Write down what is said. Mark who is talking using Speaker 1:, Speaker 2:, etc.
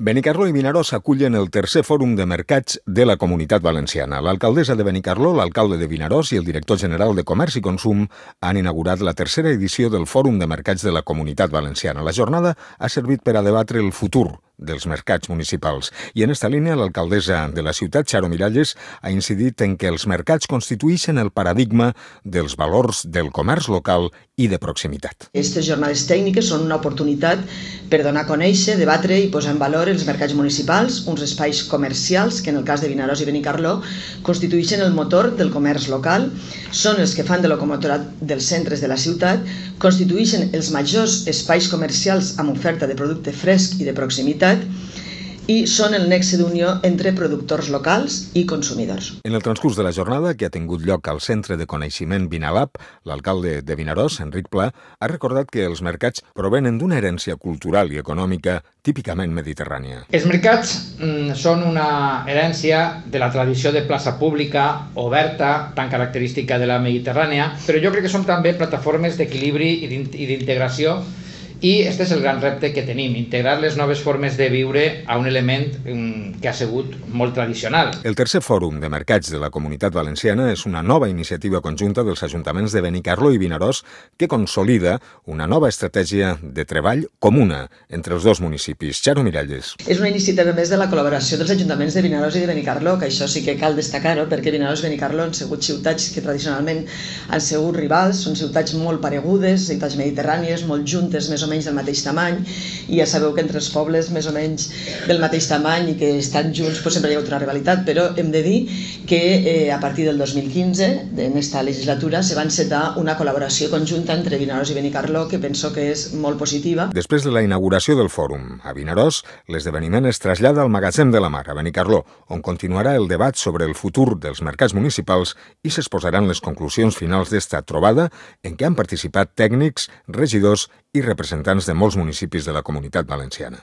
Speaker 1: Benicarló i Vinaròs acullen el tercer fòrum de mercats de la Comunitat Valenciana. L'alcaldessa de Benicarló, l'alcalde de Vinaròs i el director general de Comerç i Consum han inaugurat la tercera edició del Fòrum de Mercats de la Comunitat Valenciana. La jornada ha servit per a debatre el futur dels mercats municipals. I en esta línia, l'alcaldessa de la ciutat, Charo Miralles, ha incidit en que els mercats constitueixen el paradigma dels valors del comerç local i de proximitat.
Speaker 2: Aquestes jornades tècniques són una oportunitat per donar a conèixer, debatre i posar en valor els mercats municipals, uns espais comercials que en el cas de Vinaròs i Benicarló constitueixen el motor del comerç local, són els que fan de locomotora dels centres de la ciutat, constitueixen els majors espais comercials amb oferta de producte fresc i de proximitat i són el nexe d'unió entre productors locals i consumidors.
Speaker 1: En el transcurs de la jornada, que ha tingut lloc al Centre de Coneixement Vinalab, l'alcalde de Vinaròs, Enric Pla, ha recordat que els mercats provenen d'una herència cultural i econòmica típicament mediterrània.
Speaker 3: Els mercats són una herència de la tradició de plaça pública, oberta, tan característica de la Mediterrània, però jo crec que són també plataformes d'equilibri i d'integració. I aquest és el gran repte que tenim, integrar les noves formes de viure a un element que ha sigut molt tradicional.
Speaker 1: El tercer fòrum de mercats de la Comunitat Valenciana és una nova iniciativa conjunta dels ajuntaments de Benicarló i Vinaròs que consolida una nova estratègia de treball comuna entre els dos municipis. Charo Miralles.
Speaker 2: És una iniciativa més de la col·laboració dels ajuntaments de Vinaròs i de Benicarló, que això sí que cal destacar-ho, perquè Vinaròs i Benicarló han sigut ciutats que tradicionalment han sigut rivals, són ciutats molt paregudes, ciutats mediterrànies, molt juntes, més o menys del mateix tamany, i ja sabeu que entre els pobles més o menys del mateix tamany i que estan junts sempre hi ha una rivalitat, però hem de dir que a partir del 2015, en esta legislatura, se va encetar una col·laboració conjunta entre Vinaròs i Benicarló que penso que és molt positiva.
Speaker 1: Després de la inauguració del fòrum a Vinaròs, l'esdeveniment es trasllada al Magatzem de la Mar, a Benicarló, on continuarà el debat sobre el futur dels mercats municipals i s'exposaran les conclusions finals d'esta trobada en què han participat tècnics, regidors i representants de molts municipis de la Comunitat Valenciana.